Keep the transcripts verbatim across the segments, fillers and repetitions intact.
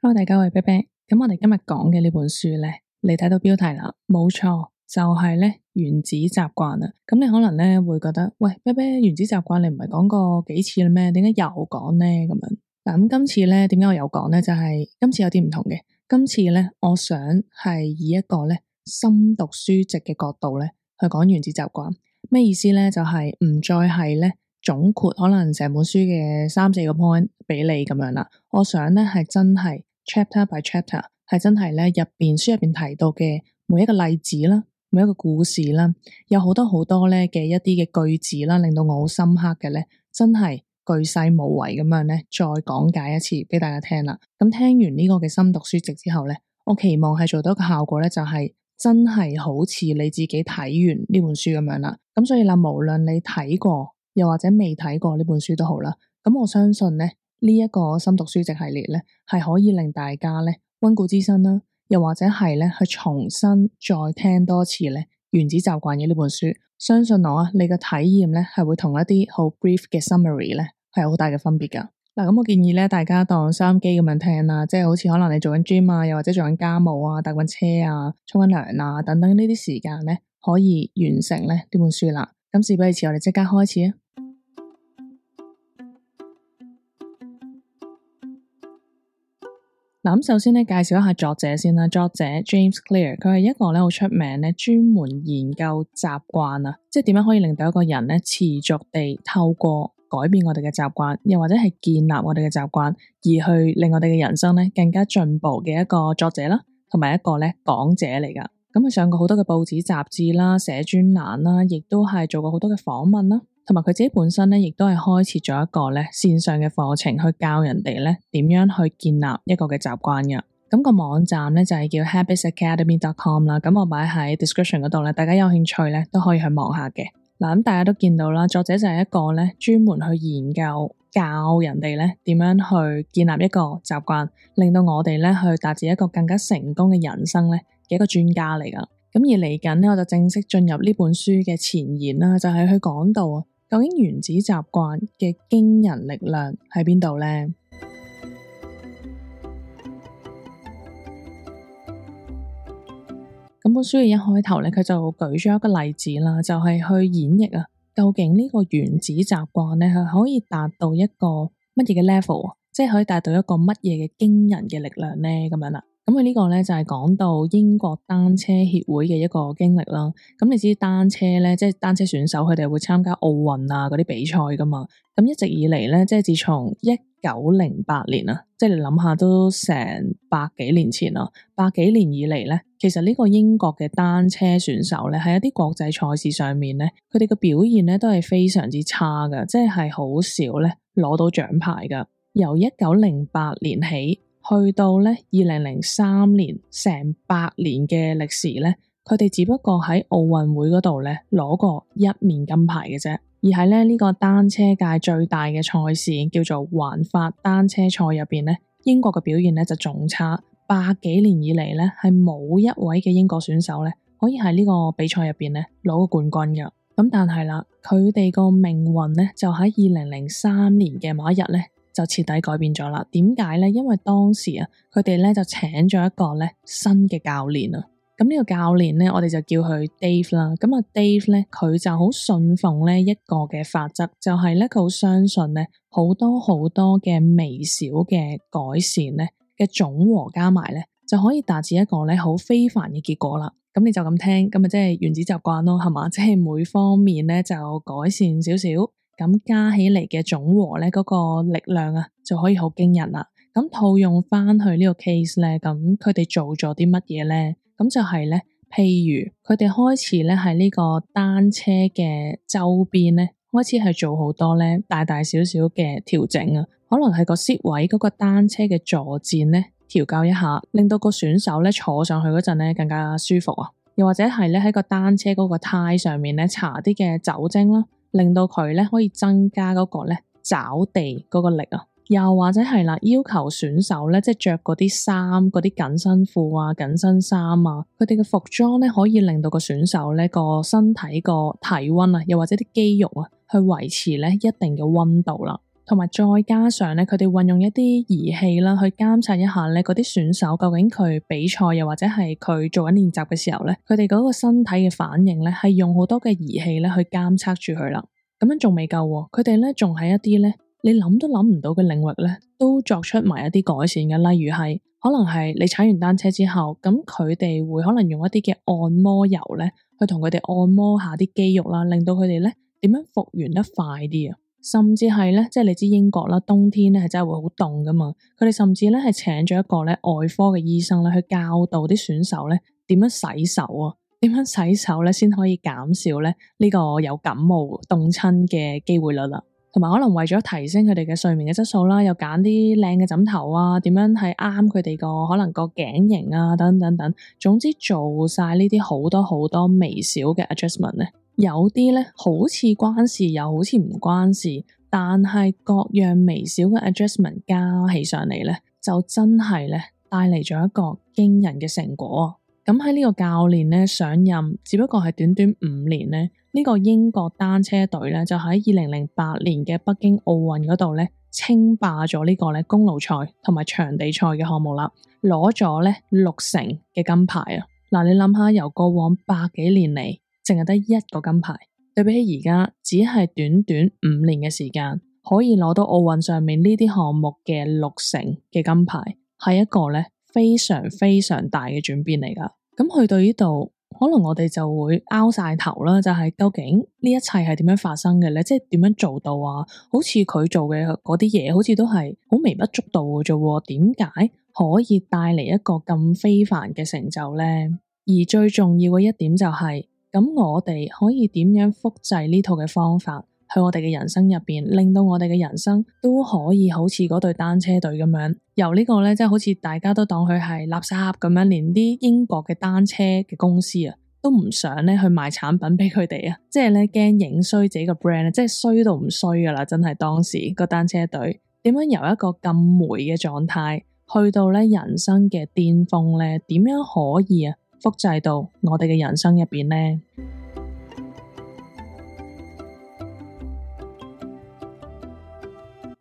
Hello，大家好，我係啤啤。咁我哋今日講嘅呢本書呢，你睇到標題啦，冇錯，就係呢原子習慣啦。咁你可能呢會覺得，喂，啤啤，原子習慣你唔係講過幾次啦咩？點解又講呢？咁樣嗱，咁今次呢，點解我又講呢？就係今次有啲唔同嘅。今次呢，我想係以一個呢深讀書籍嘅角度呢去講原子習慣。咩意思呢？就係唔再係呢總括可能成本書嘅三四個 point 俾你咁樣啦。我想呢係真係。chapter by chapter 係真係咧入邊書入邊提到嘅每一個例子啦，每一個故事啦，有好多好多咧嘅一啲嘅句子啦，令到我好深刻嘅咧，真係巨細無遺咁樣咧，再講解一次俾大家聽啦。咁聽完呢個嘅深讀書籍之後咧，我期望係做到一個效果咧，就係真係好似你自己睇完呢本書咁樣啦。咁所以啦，無論你睇過又或者未睇過呢本書都好啦，咁我相信咧。呢一個深讀書籍系列咧，係可以令大家咧溫故知新啦，又或者係咧去重新再聽多次咧《原子習慣》嘅呢本書。相信我啊，你嘅體驗咧係會同一啲好 brief 嘅 summary 咧係有好大嘅分別噶。嗱，咁我建議咧大家當收音機咁樣聽啦，即係好似可能你做緊 gym 啊，又或者做緊家務啊、搭緊車啊、沖緊涼啊等等呢啲時間咧，可以完成咧呢本書啦。咁事不宜遲，我哋即刻開始啊！嗱，咁首先咧介紹一下作者先啦。作者 James Clear， 佢係一個咧好出名咧專門研究習慣啊，即係點樣可以令到一個人咧持續地透過改變我哋嘅習慣，又或者係建立我哋嘅習慣，而去令我哋嘅人生咧更加進步嘅一個作者啦，同埋一個咧講者嚟噶。咁佢上過好多嘅報紙雜誌啦，寫專欄啦，亦都係做過好多嘅訪問啦。同埋佢自己本身咧，亦都係開設咗一個咧線上嘅課程，去教人哋咧點樣去建立一個嘅習慣嘅。咁個網站咧就係叫 habits academy dot com 啦。咁我擺喺 description 嗰度咧，大家有興趣咧都可以去望下嘅。嗱，咁大家都見到啦，作者就係一個咧專門去研究教人哋咧點樣去建立一個習慣，令到我哋咧去達至一個更加成功嘅人生咧嘅一個專家嚟噶。咁而嚟緊咧，我就正式進入呢本書嘅前言啦，就係去講到啊。究竟原子習慣嘅驚人力量喺邊度呢？咁本書嘅一開頭咧，佢就舉咗一個例子啦，就係去演繹啊，究竟呢個原子習慣咧，係可以達到一個乜嘢嘅 level，即係可以達到一個乜嘢嘅驚人嘅力量呢？咁樣啦。咁佢呢個咧就係講到英國單車協會嘅一個經歷啦。咁你知單車咧，即係單車選手，佢哋會參加奧運啊嗰啲比賽噶嘛。咁一直以嚟咧，即係自從一九零八年啊，即係你諗下都成百幾年前啦，百幾年以嚟咧，其實呢個英國嘅單車選手咧，喺一啲國際賽事上面咧，佢哋嘅表現咧都係非常之差噶，即係係好少咧攞到獎牌噶。由一九零八年起，去到咧二零零三年，成百年嘅歷史咧，佢哋只不過喺奧運會嗰度咧攞過一面金牌嘅啫。而喺咧呢個單車界最大嘅賽事叫做環法單車賽入邊咧，英國嘅表現咧就仲差，百幾年以嚟咧係冇一位嘅英國選手咧可以喺呢個比賽入邊咧攞過冠軍嘅。咁但係啦，佢哋個命運咧就喺二零零三年嘅某一日咧，就徹底改變咗啦。點解咧？因為當時啊，佢哋咧就請咗一個咧新嘅教練啊。咁呢個教練咧，我哋就叫佢 Dave 啦。咁啊，Dave 咧，佢就好信奉咧一個嘅法則，就係咧佢好相信咧好多好多嘅微小嘅改善咧嘅總和加埋咧，就可以達至一個咧好非凡嘅結果啦。咁你就咁聽，咁啊即係原子習慣咯，係嘛？即係每方面咧就改善少少。咁加起嚟嘅總和咧，嗰個力量啊，就可以好驚人啦。咁套用翻去呢個 case 咧，咁佢哋做咗啲乜嘢咧？咁就係咧，譬如佢哋開始咧喺呢個單車嘅周邊咧，開始係做好多咧大大小小嘅調整啊。可能係個 seat 位嗰個單車嘅坐墊咧調校一下，令到個選手咧坐上去嗰陣咧更加舒服啊。又或者係咧喺個單車嗰個胎上面咧搽啲嘅酒精啦。令到佢咧可以增加嗰個咧抓地嗰個力啊，又或者係啦，要求選手咧即係着嗰啲衫、嗰啲緊身褲啊、緊身衫啊，佢哋嘅服裝咧可以令到個選手咧個身體個體溫啊，又或者啲肌肉啊，去維持咧一定嘅溫度啦。同埋再加上咧，佢哋運用一啲儀器啦，去監察一下咧嗰啲選手究竟佢比賽又或者係佢做緊練習嘅時候咧，佢哋嗰個身體嘅反應咧，係用好多嘅儀器咧去監測住佢啦。咁樣仲未夠喎，佢哋咧仲喺一啲咧你諗都諗唔到嘅領域咧，都作出埋一啲改善嘅，例如係可能係你踩完單車之後，咁佢哋會可能用一啲嘅按摩油咧，去同佢哋按摩下啲肌肉啦，令到佢哋咧點樣復原得快啲啊！甚至係咧，即係你知英國啦，冬天咧係真係會好凍噶嘛。佢哋甚至咧係請咗一個咧外科嘅醫生咧，去教導啲選手咧點樣洗手啊，點樣洗手咧先可以減少咧呢個有感冒凍親嘅機會率啦。同埋可能為咗提升佢哋嘅睡眠嘅質素啦，又揀啲靚嘅枕頭啊，點樣係啱佢哋個可能個頸型啊，等等等，總之做晒呢啲好多好多微小嘅 adjustment 咧。有啲咧好似關事，又好似唔關事，但係各樣微小嘅 adjustment 加起上嚟咧，就真係咧帶嚟咗一個驚人嘅成果。咁喺呢個教練咧上任，只不過係短短五年咧，呢個英國單車隊咧就喺二零零八年嘅北京奧運嗰度咧稱霸咗呢個咧公路賽同埋場地賽嘅項目啦，攞咗咧六成嘅金牌啊！嗱，你諗下，由過往百幾年嚟，淨係得一個金牌，對比起而家只係短短五年嘅時間，可以攞到奧運上面呢啲項目嘅六成嘅金牌，係一個咧非常非常大嘅轉變嚟噶。咁去到呢度，可能我哋就會拗晒頭啦，就係究竟呢一切係點樣發生嘅咧？即係點樣做到啊？好似佢做嘅嗰啲嘢，好似都係好微不足道嘅啫。點解可以帶嚟一個咁非凡嘅成就咧？而最重要嘅一點就係，咁我哋可以點樣複製呢套嘅方法去我哋嘅人生入邊，令到我哋嘅人生都可以好似嗰隊單車隊咁樣，由呢個咧即係好似大家都當佢係垃圾咁樣，連啲英國嘅單車嘅公司啊都唔想咧去賣產品俾佢哋啊，即係咧驚影衰自己個 brand，即係衰到唔衰噶啦，真係當時個單車隊點樣由一個咁霉嘅狀態去到咧人生嘅巔峰咧，點樣可以啊複製到我哋嘅人生入邊呢？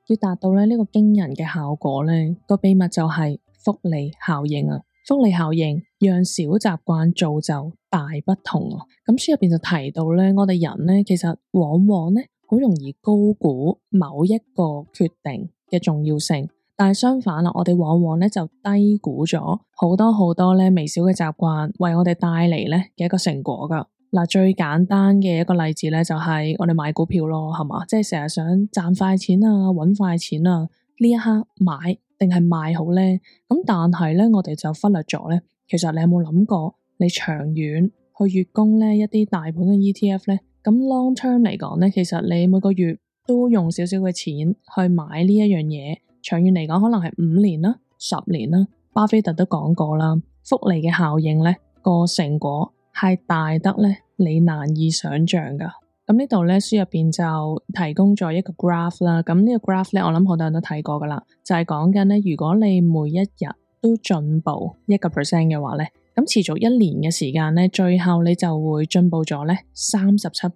要達到咧呢個驚人嘅效果咧，個秘密就係複利效應啊！複利效應讓小習慣造就大不同啊！咁書入邊就提到咧，我哋人咧其實往往咧好容易高估某一個決定嘅重要性，但係相反啦，我哋往往咧就低估咗好多好多咧微小嘅習慣為我哋帶嚟咧嘅一個成果噶。嗱，最簡單嘅一個例子咧，就係我哋買股票咯，係嘛？即係成日想賺快錢啊，搵快錢啊，呢一刻買定係賣好咧？咁但係咧，我哋就忽略咗咧。其實你有冇諗過，你長遠去月供咧一啲大盤嘅 E T F 咧？咁 long term 嚟講咧，其實你每個月都用少少嘅錢去買呢一樣嘢，長遠嚟講可能係五年啦、十年啦。巴菲特都講過啦，複利嘅效應咧個成果係大得咧，你難以想象噶。咁呢度咧書入邊就提供咗一個 graph 啦。咁呢個 graph 咧，我諗好多人都睇過噶啦，就係講緊咧，如果你每一日都進步一個 percent 嘅話咧，咁持續一年嘅時間咧，最後你就會進步咗咧三十七倍。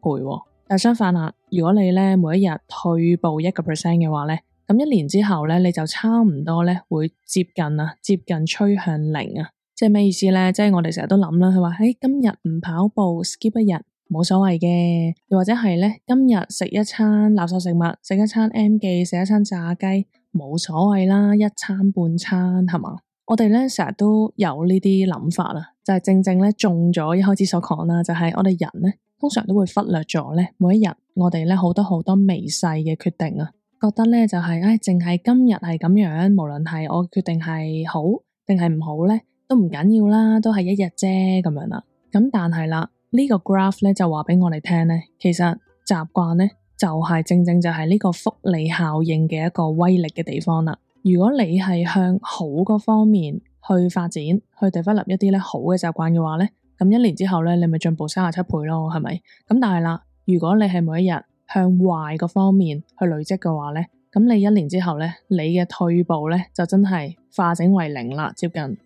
但相反啦，如果你咧每一日退步一個 percent 嘅話咧，咁一年之後咧，你就差唔多咧會接近啊，接近趨向零啊。即係咩意思咧？即係我哋成日都諗啦，佢話誒今日唔跑步 skip 一日冇所謂嘅，又或者係咧今日食一餐垃圾食物，食一餐 M 記，食一餐炸雞冇所謂啦，一餐半餐係嘛？我哋咧成日都有呢啲諗法啦，就係正正咧中咗一開始所講啦，就係我哋人咧通常都會忽略咗咧每一日我哋咧好多好多微細嘅決定啊，覺得咧就係誒淨係今日係咁樣，無論係我決定係好定係唔好咧，都唔緊要啦，都係一日啫咁樣啦。咁但係啦，呢個 graph 咧就話俾我哋聽咧，其實習慣咧就係正正就係呢個複利效應嘅一個威力嘅地方啦。如果你係向好嗰方面去發展，去 develop 一啲咧好嘅習慣嘅話咧，咁一年之後咧你咪進步三十七倍咯，係咪？咁但係啦，如果你係每一日向壞嗰方面去累積嘅話咧，咁你一年之後咧，你嘅退步咧就真係化整為零啦，接近。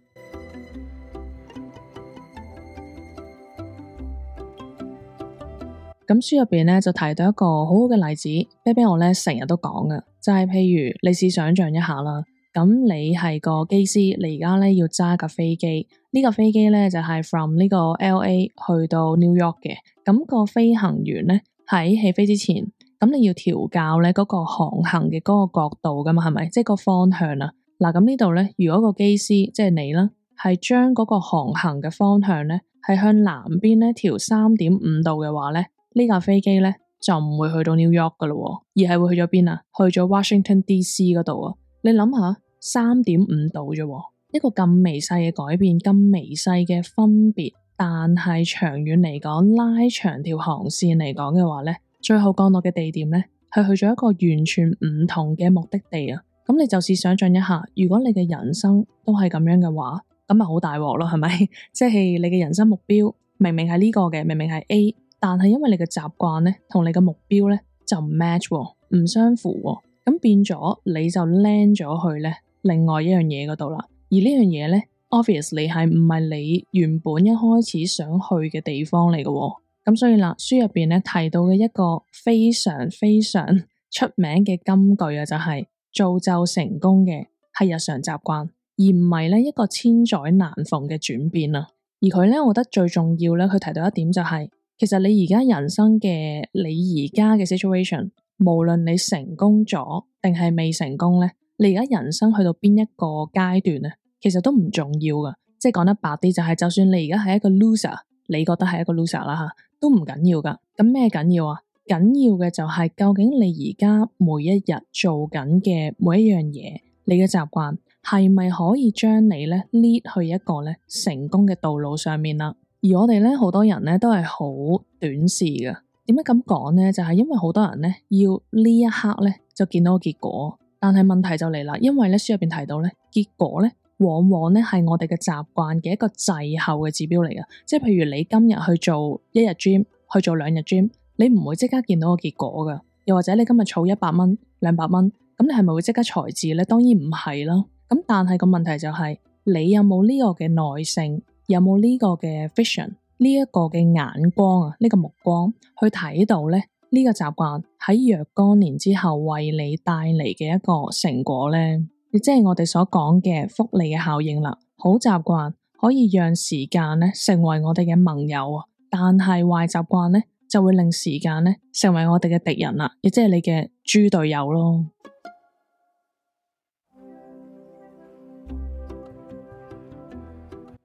咁書入邊咧就提到一個好好嘅例子，啤啤我咧成日都講嘅，就係譬如你試想象一下啦，咁你係個機師，你而家咧要揸架飛機，呢架飛機咧就係 from 呢個 L A 去到 New York 嘅，咁個飛行員咧喺起飛之前，咁你要調校咧嗰個航行嘅嗰個角度噶嘛，係咪？即係個方向啊。嗱，咁呢度咧，如果個機師即係你啦，係將嗰個航行嘅方向咧係向南邊咧調三點五度嘅話咧，呢架飛機咧就唔會去到 New York 噶咯，而係會去咗邊啊？去咗 Washington D C 嗰度啊！你諗下，三點五度啫，一個咁微細嘅改變，咁微細嘅分別，但係長遠嚟講，拉長條航線嚟講嘅話咧，最後降落嘅地點咧係去咗一個完全唔同嘅目的地啊！咁你就試想象一下，如果你嘅人生都係咁樣嘅話，咁咪好大鑊咯，係咪？即係你嘅人生目標明明係呢個嘅，明明係 A，但係因為你嘅習慣咧同你嘅目標咧就唔 match，唔相符，咁變咗你就 land 咗去咧另外一樣嘢嗰度啦。而呢樣嘢咧 obviously 係唔係你原本一開始想去嘅地方嚟嘅。咁所以啦，書入邊咧提到嘅一個非常非常出名嘅金句啊，就係造就成功嘅係日常習慣，而唔係咧一個千載難逢嘅轉變啊。而佢咧，我覺得最重要咧，佢提到一點就係，其實你而家人生嘅你而家嘅 situation，無論你成功咗定係未成功咧，你而家人生去到邊一個階段咧，其實都唔重要噶。即係講得白啲，就係就算你而家係一個 loser，你覺得係一個 loser 啦吓，都唔緊要噶。咁咩緊要啊？緊要嘅就係究竟你而家每一日做緊嘅每一樣嘢，你嘅習慣係咪可以將你咧 lead 去一個咧成功嘅道路上面啦？而我哋咧好多人咧都係好短視嘅。點解咁講咧？就係因為好多人咧要呢一刻咧就見到個結果，但係問題就嚟啦，因為咧書入邊提到咧結果咧往往咧係我哋嘅習慣嘅一個滯後嘅指標嚟嘅。即係譬如你今日去做一日 gym， 去做兩日 gym。你唔會即刻見到個結果噶，又或者你今日儲一百蚊、兩百蚊，咁你係咪會即刻財智咧？當然唔係啦。咁但係個問題就係，你有冇呢個嘅耐性，有冇呢個嘅 vision，呢一個嘅眼光啊，呢個目光去睇到咧呢個習慣喺若干年之後為你帶嚟嘅一個成果咧？亦即係我哋所講嘅複利嘅效應啦。好習慣可以讓時間咧成為我哋嘅盟友啊，但係壞習慣咧，就會令時間咧成為我哋嘅敵人啦，亦即係你嘅豬隊友咯。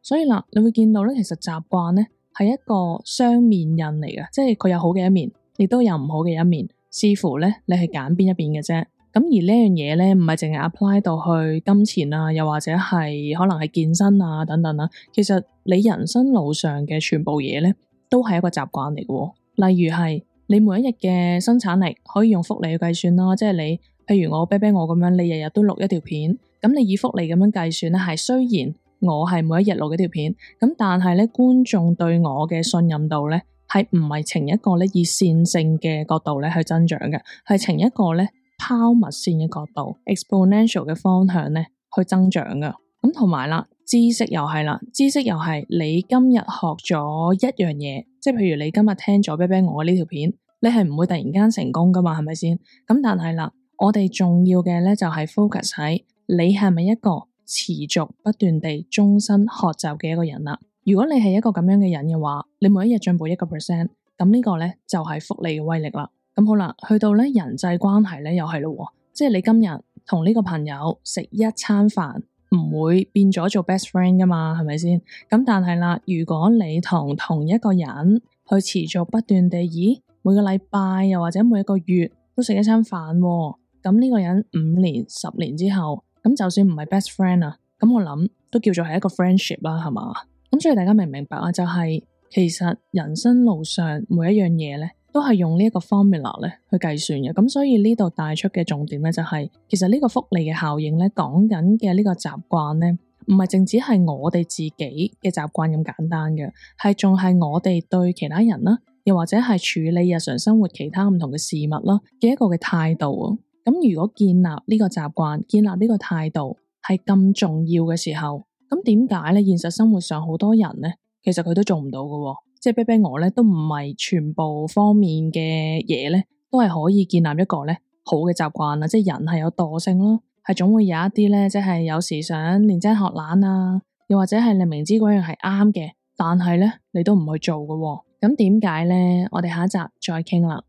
所以啦，你會見到咧，其實習慣咧係一個雙面印嚟嘅，即係佢有好嘅一面，亦都有唔好嘅一面，視乎咧你係揀邊一邊嘅啫。咁而呢樣嘢咧，唔係淨係 apply 到去金錢啊，又或者係可能係健身啊等等啦。其實你人生路上嘅全部嘢咧，都係一個習慣嚟嘅。例如係你每一日嘅生產力可以用複利去計算啦，即係你譬如我啤啤我咁樣，你日日都錄一條片，咁你以複利咁樣計算咧，係雖然我係每一日錄一條片，咁但係咧觀眾對我嘅信任度咧係唔係呈一個咧以線性嘅角度咧去增長嘅，係呈一個咧拋物線嘅角度 exponential 嘅方向咧去增長嘅。咁同埋啦，知識又係啦，知識又係你今日學咗一樣嘢，即係譬如你今日聽咗啤啤我呢條片，你係唔會突然間成功噶嘛，係咪先？咁但係啦，我哋重要嘅咧就係 focus 喺你係咪一個持續不斷地終身學習嘅一個人啦。如果你係一個咁樣嘅人嘅話，你每一日進步一個 percent，咁呢個咧就係複利嘅威力啦。咁好啦，去到咧人際關係咧又係咯，即係你今日同呢個朋友食一餐飯，唔會變咗做 best friend 噶嘛，係咪先？咁但係啦，如果你同同一個人去持續不斷地，咦，每個禮拜又或者每一個月都食一餐飯，咁呢個人五年、十年之後，咁就算唔係 best friend 啊，咁我諗都叫做係一個 friendship 啦，係嘛？咁所以大家明唔明白啊？就係其實人生路上每一樣嘢咧，都係用呢一個 formula 咧去計算嘅。咁所以呢度帶出嘅重點咧，就係其實呢個複利嘅效應咧，講緊嘅呢個習慣咧，唔係淨止係我哋自己嘅習慣咁簡單嘅，係仲係我哋對其他人啦，又或者係處理日常生活其他唔同嘅事物啦嘅一個嘅態度啊。咁如果建立呢個習慣，建立呢個態度係咁重要嘅時候，咁點解咧現實生活上好多人咧，其實佢都做唔到嘅？即係啤啤我咧，都唔係全部方面嘅嘢咧，都係可以建立一個咧好嘅習慣啦，即係人係有惰性咯，係總會有一啲咧，即係有時想練精學懶啊，又或者係你明知嗰樣係啱嘅，但係咧你都唔去做嘅喎，咁點解咧？我哋下一集再傾啦。